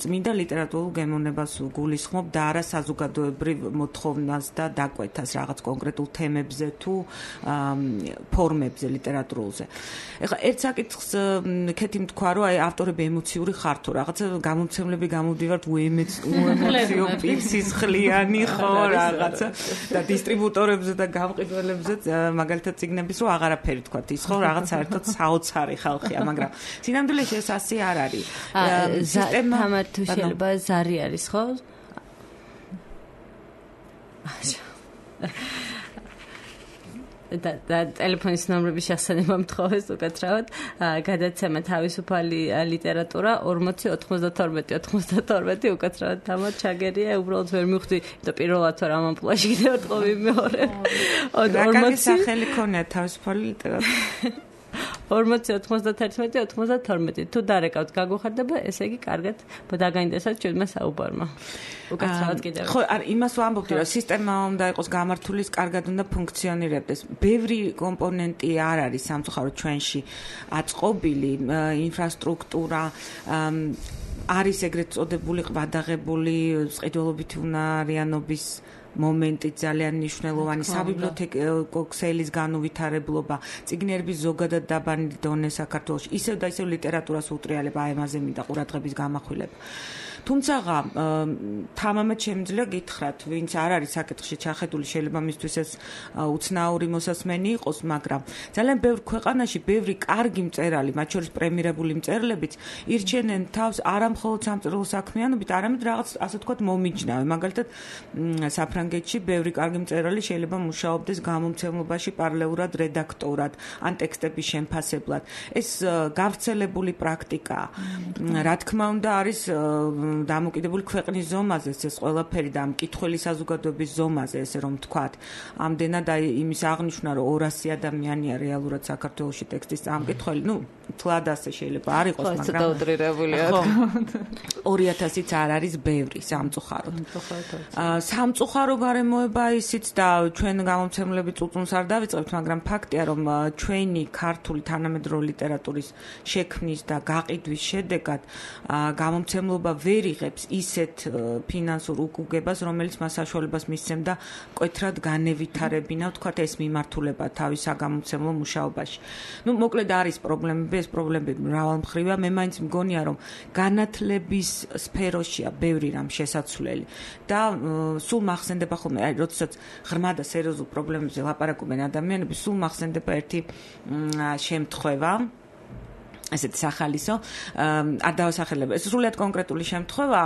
წმინდა ლიტერატურულ გემოვნებას გულისხმობ და არა საზოგადოებრივ მოთხოვნას და დაკვეთას რაღაც კონკრეტულ თემებზე თუ ფორმებზე ლიტერატურულზე. ეხლა ერთ საკითხს ქეთი თქვა, რომ აი ავტორები ემოციური ხარ თუ რაღაცა გამომცემლები გამოდივართ უემოციო პირსისხლიანი ხო რაღაცა და დისტრიბუტორებზე და გამყიდველებზე მაგალითად წიგნების რო აღარაფერი თქვა ის ხო რაღაც საერთოდ საოცარი ხალხია, მაგრამ სინამდვილეში ეს ასე არ არის. სისტემა თამარ თუ შეიძლება ზარი არის ხო? და ტელეფონის ნომრების შესაძლებლობა მთხოვეს უკეთრავად გადაცემა თავისუფალი ლიტერატურა 40-92 უკეთრავად თამარ ჩაგერია უბრალოდ ვერ მივხვდი და პირველად ვარ ამ ამპლუაში კიდევ ერთხელ ვიმეორე 40 სახელი ქონია თავისუფალი ლიტერატურა 40-91-92 თუ დარეკავთ გაგუხარდება, ესე იგი კარგად დაგაინტერესებთ ჩვენმა საუბარმა. უკაცრავად კიდევ. ხო, არ იმას ვამბობდი, რომ სისტემა უნდა იყოს გამართული, კარგად უნდა ფუნქციონირებდეს. ბევრი კომპონენტი არ არის სამწუხაროდ ჩვენში აწყობილი, ინფრასტრუქტურა არის ეგრეთ წოდებული ყვადაღებული ყიდველობითი უნარიანობის მომენტი ძალიან მნიშვნელოვანი, საბიბლიოთეკო ქსელის განუვითარებლობა, წიგნიერების ზოგადად დაბალი დონე საქართველოში, ისევ და ისევ ლიტერატურას უტრიალება, აი ამაზე მინდა ყურადღების გამახვილება. თუმცა თამამად შემიძლია გითხრათ, ვინც არ არის საკითხში ჩახედული, შეიძლება მისთვის ეს უცნაური მოსასმენი იყოს, მაგრამ ძალიან ბევრ ქვეყანაში ბევრი კარგი მწერალი, მათ შორის პრემირებული მწერლებიც ირჩენენ თავს არა მხოლოდ სამწერლო საქმიანობით, არამედ რაღაც ასე ვთქვათ მომიჯნავე. მაგალითად, საფრანგეთში ბევრი კარგი მწერალი შეიძლება მუშაობდეს გამომცემლობაში პარალელურად რედაქტორად, ან ტექსტების შემფასებლად. ეს გავრცელებული პრაქტიკაა. რა თქმა უნდა, არის დამოკიდებული ქვეყნის ზომაზე, ეს ყველაფერი და მკითხველი საზოგადოების ზომაზე, ესე რომ ვთქვათ. ამდენად იმის აღნიშვნა, რომ 200 ადამიანია რეალურად საქართველოში ტექსტის წამკითხველი, თლად ასე შეიძლება არ იყოს, მაგრამ ცოტა უტრირებულია. 2000-იც არ არის ბევრი სამწუხაროდ. სამწუხარო გარემოება ისიც და ჩვენ გამომცემლები წუწუნს არ დავიწყებთ, მაგრამ ფაქტია, რომ ჩვენი ქართული თანამედროვე ლიტერატურის შექმნის და გაყიდვის შედეგად გამომცემლობა ვერ იღებს ისეთ ფინანსურ უკუგებას, რომელიც მას საშუალებას მისცემდა მკვეთრად განევითარებინა, ვთქვათ, ეს მიმართულება თავის საგამომცემლო მუშაობაში. მოკლედ არის პრობლემები, ეს პრობლემები მრავალმხრივია. მე მაინც მგონია, რომ განათლების სფეროშია ბევრი რამ შესაძლებელი და სულ მახსენდება ხოლმე, როდესაც ღრმა და სერიოზულ პრობლემებზე ლაპარაკობენ ადამიანები, სულ მახსენდება ერთი შემთხვევა, ესეთი სახალისო, არ დავასახელებ. ეს სრულიად კონკრეტული შემთხვევა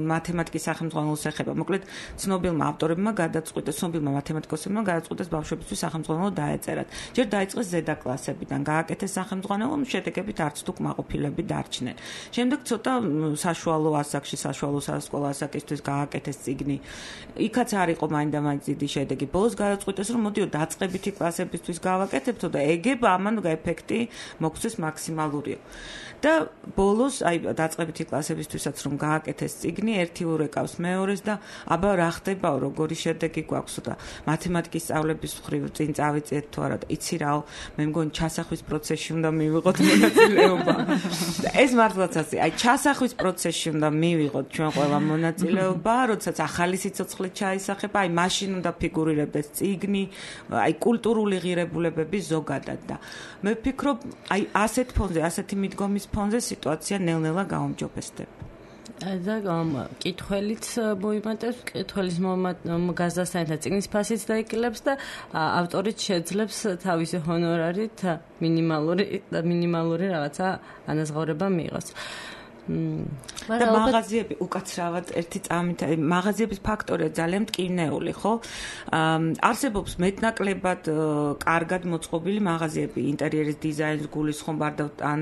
მათემატიკის სახელმძღვანელოს ეხება. მოკლედ, ცნობილმა ავტორებმა გადაწყვიტეს, ცნობილმა მათემატიკოსებმა გადაწყვიტეს ბავშვებისთვის სახელმძღვანელო დაეწერათ. ჯერ დაიწყეს ზედა კლასებიდან, გააკეთეს სახელმძღვანელო, შედეგებით არც თუ კმაყოფილები დარჩნენ. შემდეგ ცოტა საშუალო ასაკში, საშუალო სასკოლო ასაკისთვის გააკეთეს წიგნი. იქაც არ იყო მაინდა-მაინც დიდი შედეგი. ბოლოს გადაწყვიტეს, რომ მოდიო დაწყებითი კლასებისთვის გავაკეთებთო და ეგება ამან ეფექტი მოგვცეს მაქსიმალურად. და ბოლოს აი დაწყებითი კლასებისთვისაც რომ გააკეთეს წიგნი, ერთი ურეკავს მეორეს და აბა რა ხდებაო, როგორი შედეგი გვაქვს და მათემატიკის სწავლების მხრივ წინ წავიწიეთ თუ არა, იცი რაო, მე მგონი ჩასახვის პროცესში უნდა მივიღოთ მონაწილეობა. და ეს მართლაც ასე, აი ჩასახვის პროცესში უნდა მივიღოთ ჩვენ ყველა მონაწილეობა, როდესაც ახალი სიცოცხლე ჩაისახება, აი მაშინ უნდა ფიგურირებდეს წიგნი, აი კულტურული ღირებულებები ზოგადად და მე ვფიქრობ, აი ასეთ ფონზე, ასეთი მიდგომის ფონზე სიტუაცია ნელ-ნელა გაუმჯობესდება. და კითხველიც მოიმატებს, კითხველის გაზრდასთან წიგნის ფასიც დაიკილებს და ავტორიც შეძლებს თავისი ჰონორარით მინიმალური რაღაცა ანაზღაურება მიიღოს. და მაღაზიები უკაცრავად ერთი წამით, მაღაზიების ფაქტორია ძალიან მტკივნეული, ხო? არსებობს მეტნაკლებად კარგად მოწყობილი მაღაზიები, ინტერიერის დიზაინს გულისხმობ ან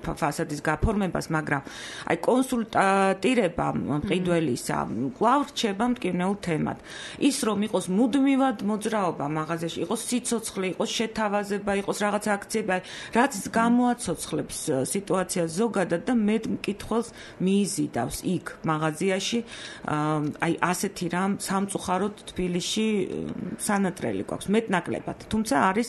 ფასადის გაფორმებას, მაგრამ აი კონსულტირება მყიდველისა კვლავ რჩება მტკივნეულ თემად. ის რომ იყოს მუდმივად მოძრაობა მაღაზიაში, იყოს სიცოცხლე, იყოს შეთავაზება, იყოს რაღაც აქციები, რაც გამოაცოცხლებს სიტუაციას ზოგადად და მეტ მკითხველს მიიზიდავს იქ მაღაზიაში. აი ასეთი რამ სამწუხაროდ თბილისში სანატრელი გვაქვს მეტნაკლებად, თუმცა არის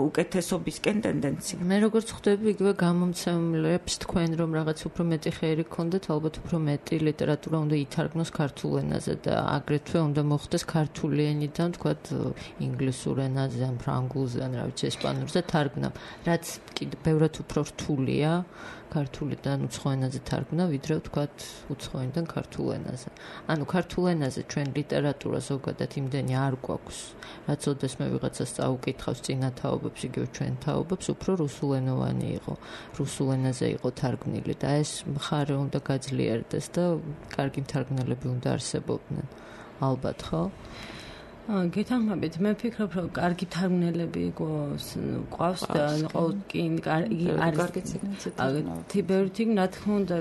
უკეთესობისკენ ტენდენცია. მე როგორც ხვდები, იგივე გამომცემლებს თქვენ რომ რაღაც უფრო მეტი ხერი გქონდეთ, ალბათ უფრო მეტი ლიტერატურა უნდა ითარგმნოს ქართულ ენაზე და აგრეთვე უნდა მოხდეს ქართული ენიდან, თქვათ, ინგლისურ ენაზე, ან ფრანგულზე, ან რა ვიცი, ესპანურზე თარგმნა, რაც კიდევ ბევრად უფრო რთულია ქართულიდან უცხო ენაზე თარგმნა, ვიდრე ვთქვათ უცხო ენიდან ქართულ ენაზე. ანუ ქართულ ენაზე ჩვენ ლიტერატურა ზოგადად იმდენი არ გვაქვს, რაც ოდესმე ვიღაცას წაუკითხავს წინა თაობებს, იგივე ჩვენ თაობებს, უფრო რუსულენოვანი იყო, რუსულ ენაზე იყო თარგმნილი და ეს მხარე უნდა გაძლიერდეს და კარგი მთარგმნელები უნდა არსებობდნენ. ალბათ, ხო? გეთანხმებით, მე ვფიქრობ, რომ კარგი მთარგმნელები გვყავს და ყოველკინ არის ბევრი წიგნი, რა თქმა უნდა,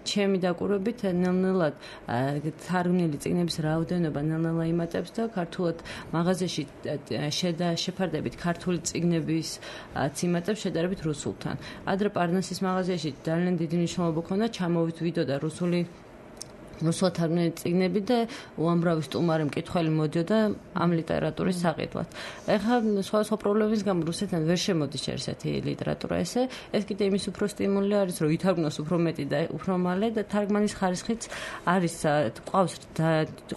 ჩემი დაკვირვებით ნელ-ნელად თარგმნილი წიგნების რაოდენობა ნელ-ნელა იმატებს და ქართულად მაღაზიაში შეფარდებით ქართული წიგნების იმატებს შედარებით რუსულთან. ადრე პარნასის მაღაზიაში ძალიან დიდი მნიშვნელობა ჰქონდა, ჩამოვიდოდა რუსული რუსულად თარგმნილი წიგნები და უამრავი სტუმარი მკითხველი მოდიოდა ამ ლიტერატურის საყიდვად. ეხლა სხვა პრობლემის გამო რუსეთიდან ვერ შემოდის ესეთი ლიტერატურა ეს კიდე იმის უფრო სტიმული არის, რომ ითარგმნოს უფრო მეტი და უფრო მალე და თარგმანის ხარისხიც არის ყავს და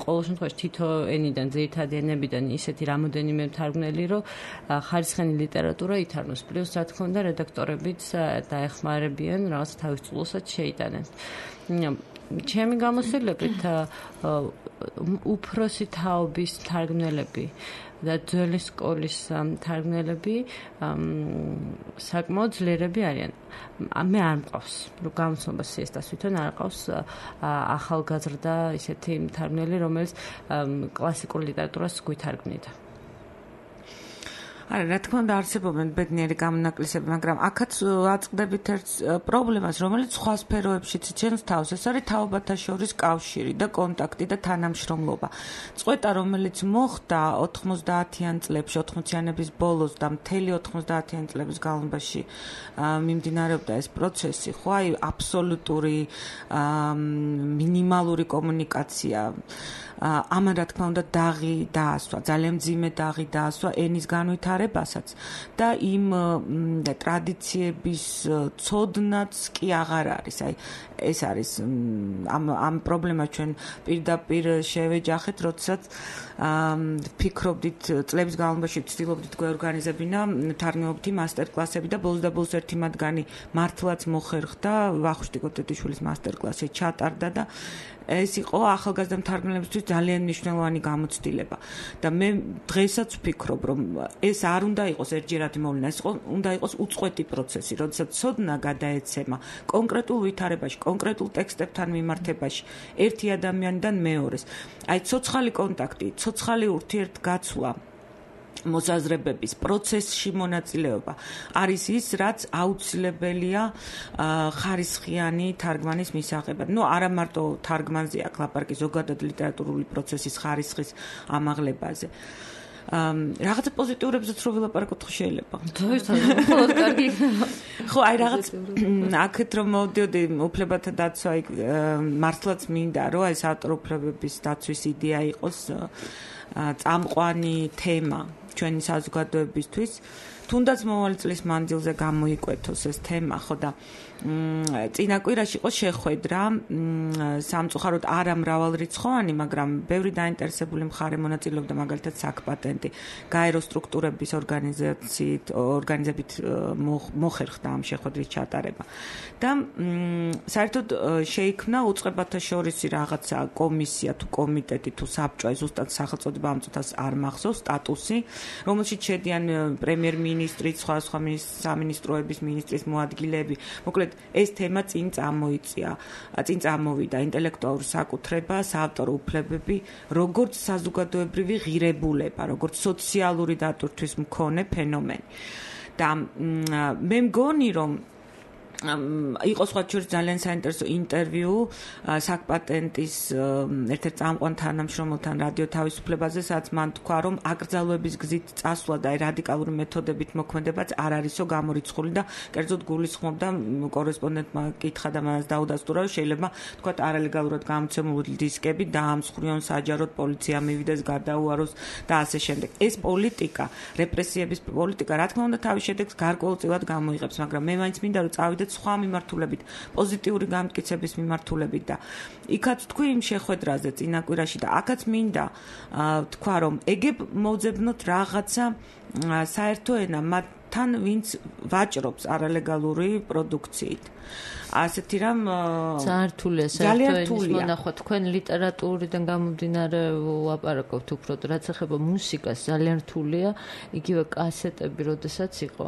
ყოველ შემთხვევაში თითო ენიდან ძირითადი ენებიდან ისეთი რამოდენიმე თარგმნელი, რომ ხარისხენი ლიტერატურა ითარგმნოს. პლუს რა თქმა უნდა რედაქტორებიც დაეხმარებიან რაღაც თავის წვლილსაც შეიტანენ. ჩემი გამოსილებით უფროსი თაობის თარგმნელები და ძველი სკოლის თარგმნელები საკმაოდ ძლიერები არიან. მე არ მყავს, რომ გამოცნობა სიესტას თვითონ არ ყავს ახალგაზრდა ისეთი თარგმნელი, რომელიც კლასიკურ ლიტერატურას გვითარგმნიდა. არა, რა თქმა უნდა არსებობენ ბედნიერი გამონაკლისები, მაგრამ აქაც აწყდებით ერთ პრობლემას, რომელიც სხვა სფეროებშიც იჩენს თავს. ეს არის თაობათა შორის კავშირი და კონტაქტი და თანამშრომლობა. წყვეტა, რომელიც მოხდა 90-იან წლებში, 80-იანების ბოლოს და მთელი 90-იან წლების განმავლობაში მიმდინარეობდა ეს პროცესი, ხო, აი აბსოლუტური მინიმალური კომუნიკაცია. ამან რა თქმა უნდა დაღი დაასვა, ძალიან მძიმე დაღი დაასვა ენის განვითარებასაც და იმ ტრადიციების ცოდნაც კი აღარ არის. აი ეს არის ამ პრობლემას ჩვენ პირდაპირ შევეჯახეთ, როდესაც ფიქრობდით წლების განმავლობაში ვცდილობდით გვეორგანიზებინა თარგმნელობითი მასტერკლასები და ბოლოს და ბოლოს ერთი მათგანი მართლაც მოხერხდა, ვახუშტი კოტეტიშვილის მასტერკლასი ჩატარდა და ეს იყო ახალგაზრდა მთარგმნელებისთვის ძალიან მნიშვნელოვანი გამოცდილება და მე დღესაც ვფიქრობ, რომ ეს არ უნდა იყოს ერთჯერადი მოვლენა, ეს უნდა იყოს უწყვეტი პროცესი, როდესაც ცოდნა გადაეცემა კონკრეტულ ვითარებაში, კონკრეტულ ტექსტებთან მიმართებაში ერთი ადამიანიდან მეორეს. აი ცოცხალი კონტაქტი, ცოცხალი ურთიერთგაცვლა მოსაზრებების პროცესში მონაწილეობა არის ის, რაც აუცილებელია ხარისხიანი თარგმანის მისაღებად. არა მარტო თარგმანზე აქ ლაპარაკი, ზოგადად ლიტერატურული პროცესის ხარისხის ამაღლებაზე. რაღაცა პოზიტიურებზეც რო ვილაპარაკოთ ხო შეიძლება? მხოლოდ კარგი. ხო, აი რაღაც აქეთ რომ მოვდიოდი უფლებათა დაცვა, მართლაც მინდა რომ ეს ავტორ უფლებების დაცვის იდეა იყოს წამყვანი თემა ჩვენი საზოგადოებისთვის. თუნდაც მომავალი წლის მანძილზე გამოიკვეთოს ეს თემა, ხო და წინა კვირაში იყო შეხვედრა სამწუხაროდ არა მრავალრიცხოვანი, მაგრამ ბევრი დაინტერესებული მხარე მონაწილეობდა, მაგალითად საქპატენტი, გაერო სტრუქტურების ორგანიზებით მოხერხდა ამ შეხვედრის ჩატარება. და საერთოდ შეიქმნა უწყებათა შორისი რაღაცა კომისია თუ კომიტეტი თუ საბჭო, ზუსტად სახელწოდება ამ წუთას არ მახსოვს, სტატუსი, რომელშიც შედიან პრემიერ-მინისტრი, სხვა სამინისტროების მინისტრის მოადგილეები. მოკლედ ეს თემა წინ წამოვიდა ინტელექტუალურ საკუთრებას, ავტორ უფლებები, როგორც საზოგადოებრივი ღირებულება, როგორც სოციალური დატვირთვის მქონე ფენომენი. და მე მგონი, რომ იყო სხვა შორის ძალიან საინტერესო ინტერვიუ საქპატენტის ერთ-ერთ წამყვან თანამშრომელთან რადიო თავისუფლებაზე, სადაც მან თქვა, რომ აკრძალვების გზით წასვლა და რადიკალური მეთოდებით მოქმედებაც არ არისო გამორიცხული და კერძოდ გულისხმობდა კორესპონდენტმა კითხა და მას დაუდასტურა, რომ შეიძლება თქვა არალეგალურად გამოცემული დისკები დაამსხვრიონ, საჯაროდ პოლიცია მივიდეს, გადაუაროს და ასე შემდეგ. ეს პოლიტიკა, რეპრესიების პოლიტიკა, რა თქმა უნდა, თავის შედეგს გარკვეულწილად გამოიღებს, მაგრამ მე მაინც მინდა რომ წავიდეთ სხვა მიმართულებით, პოზიტიური გამტკიცების მიმართულებით და იქაც თქვი იმ შეხვედრაზე წინა კვირაში და აქაც მინდა თქვა, რომ ეგებ მოძებნოთ რაღაცა საერთო ენა მათთან, ვინც ვაჭრობს არალეგალური პროდუქციით. ასეთი რამ ძალიან რთულია მონახვა თქვენ ლიტერატურიდან გამომდინარე ვაპარაკობთ უფრო, რაც ეხება მუსიკას, ძალიან რთულია, იგივე კასეტები, როდესაც იყო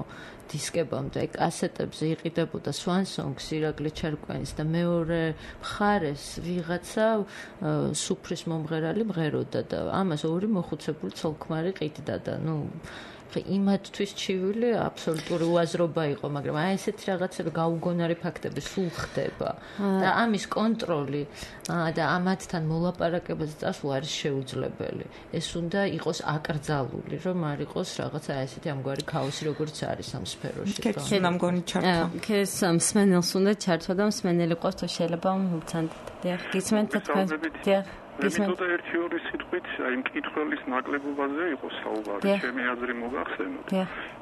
დისკებამდე, კასეტებზე იყიდებოდა Swan Songs, ირაკლი ჩარკვანის და მეორე მხარეს ვიღაცა სუფრის მომღერალი მღეროდა და ამას ორი მოხუცებული ცოლ-ქმარი ყიდდა და იმათთვის ჩივილი აბსოლუტური უაზრობა იყო, მაგრამ აი ესეთი რაღაცები გაუგონარი ფაქტები სულ ხდება და ამის კონტროლი და ამათთან მოლაპარაკებაზე წასვლა არის შეუძლებელი. ეს უნდა იყოს აკრძალული, რომ არ იყოს რაღაცა ესეთი ამგვარი ქაოსი, როგორც არის ამ სფეროში. კეთილ მგონი ჩართვა. ქეს მსმენელს უნდა ჩართვა და მსმენელი ყავს თუ შეიძლება მცანდეთ. დიახ, გისმენთ თქვენ? დიახ. მეთოდა ერთი ორი სიტყვით აი მკითხველის ნაკლებობაზე იყო საუბარი, ჩემი აზრი მოგახსენოთ.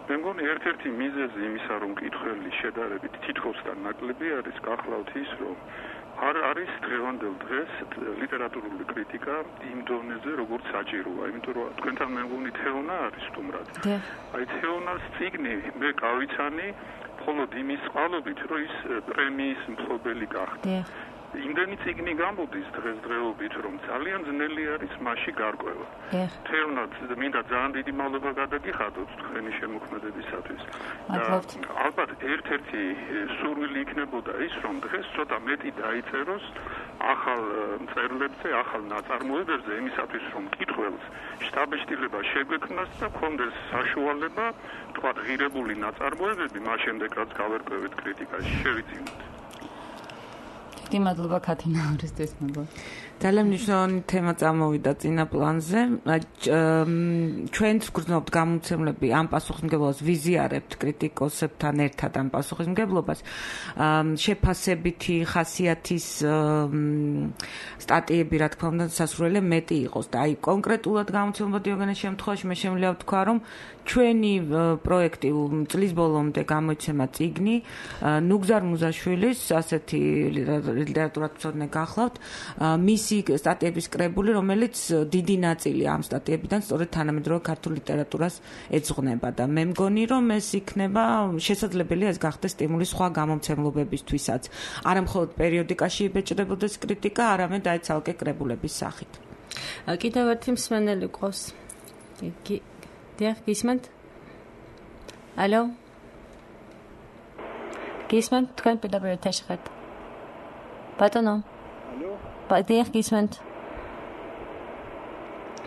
მე მგონი ერთ-ერთი მიზეზი იმისა, რომ მკითხველი შედარებით თითქოს და ნაკლები არის, გახლავთ ის, რომ არ არის დღევანდელ დღეს ლიტერატურული კრიტიკა იმ დონეზე, როგორც საჭიროა, იმიტომ რომ თქვენთან მე მგონი თეონა არის სტუმრად. აი თეონას წიგნი მე გავიცანი მხოლოდ იმის წყალობით, რომ ის პრემიის მფლობელი გახდა. იმდენი წიგნი გამოდის დღესდღეობით, რომ ძალიან ძნელი არის მასში გარკვევა. თეონად მინდა ძალიან დიდი მადლობა გადაგიხადოთ თქვენი შემოქმედებისათვის. ალბათ ერთ-ერთი სურვილი იქნებოდა ის, რომ დღეს ცოტა მეტი დაიწეროს ახალ მწერლებზე, ახალ ნაწარმოებებზე, იმისათვის, რომ მკითხველს შთაბეჭდილება შეგვექმნას და ჰქონდეს საშუალება, თქვა ღირებული ნაწარმოებები, მას შემდეგ რაც გავერკვევით კრიტიკაში, შევიძინოთ. დიდი მადლობა ქათინა ორესთვის მოგო. ძალიან მნიშვნელოვანი თემა წამოვიდა წინა პლანზე. ჩვენც გვგრძნობთ გამომცემლები ამ პასუხისმგებლობას ვიზიარებთ კრიტიკოსებთან ერთად ამ პასუხისმგებლობას. შეფასებითი ხასიათის სტატიები, რა თქმა უნდა, სასურველია მეტი იყოს და აი კონკრეტულად გამომცემლობა დიოგენეს შემთხვევაში მე შემიძლია ვთქვა, რომ ჩვენი პროექტი წლის ბოლომდე გამოიცემა წიგნი ნუგზარ მუზაშვილის ასეთი ლიტერატურათმცოდნე გახლავთ მისი სტატიების კრებული, რომელიც დიდი ნაწილი ამ სტატიებიდან სწორედ თანამედროვე ქართულ ლიტერატურას ეძღვნება და მე მგონი, რომ ეს იქნება შესაძლებელია ეს გახდეს სტიმული სხვა გამომცემლობებისთვისაც. არა მხოლოდ პერიოდიკაში იბეჭდებოდეს კრიტიკა, არამედ აი ცალკე კრებულების სახით. კიდევ ერთი მსმენელი ყავს. დიახ, გისმენთ? ალო? გისმენთ? თქვენ პირდაპირ ეთერში ხართ? ბატონო? ალო? დიახ, გისმენთ?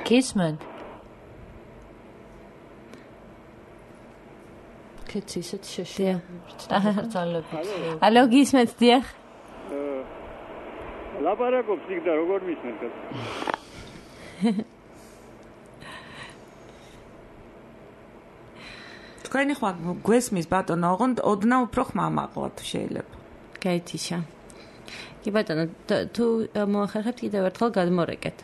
გისმენთ? კეთს ისეთ შეშია. ალო, გისმენთ? დიახ? ლაპარაკობს იქ და როგორ მისმენთ? თქვენი ხმა გვესმის ბატონო, ოღონდ ოდნავ უფრო ხმამაღლა თუ შეიძლება. გაითიშა. კი ბატონო, თუ მოახერხებთ კიდევ ერთხელ გადმორეკეთ.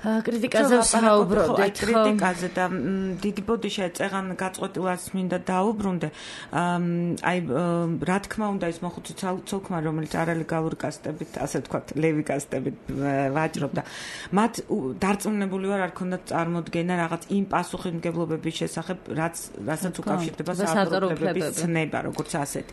კრიტიკაზე ვსაუბრობდით, ხო? კრიტიკაზე და დიდი ბოდიშა წეღან გაწყვეტილას მინდა დაუბრუნდე. აი რა თქმა უნდა ის მოხუცი ცოლქმა, რომელიც არალეგალური კასტებით, ასე ვთქვათ, ლევი კასტებით ვაჭრობდა. მათ დარწმუნებული ვარ, არ ქონდათ წარმოდგენა რაღაც იმ პასუხისმგებლობების შესახებ, რასაც უკავშირდება საავტორობლების ცნება, როგორც ასეთი.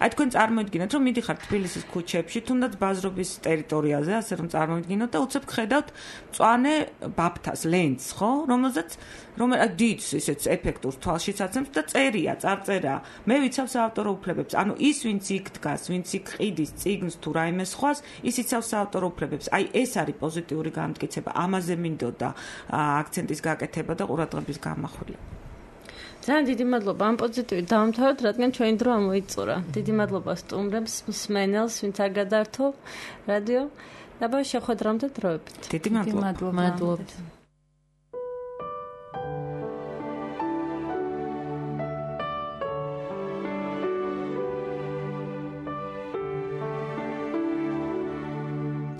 აი თქვენ წარმოიდგინეთ, რომ მიდიხართ თბილისის ქუჩებში, თუნდაც ბაზრობის ტერიტორიაზე, ასე რომ წარმოიდგინოთ და უცებ ხედავთ მწვანე ბაფთას ლენს, ხო? რომელზეც დიდს ისეთ ეფექტურ თვალშიც აცემს და წერია, წარწერა. მე ვიცავ საავტორო უფლებებს. ანუ ის ვინც იქ დგას, ვინც იქ ყიდის წიგნს თუ რაიმე სხვას, ის იცავს საავტორო უფლებებს. აი ეს არის პოზიტიური გამტკიცება. ამაზე მინდოდა აქცენტის გაკეთება და ყურადღების გამახვილება. ძალიან დიდი მადლობა ამ პოზიტივით დავამთავროთ, რადგან ჩვენი დრო ამოიწურა. დიდი მადლობა სტუმრებს, მსმენელს, ვინც არ გადაართო რადიო. დაბა შეხვედრამდე დროებით. დიდი მადლობა. მადლობთ.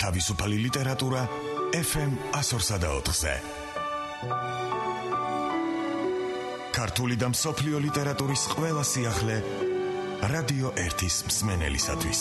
თავისუფალი ლიტერატურა FM 104.4-ზე. ქართული და მსოფლიო ლიტერატურის ყველა სიახლე რადიო 1-ის მსმენელისათვის.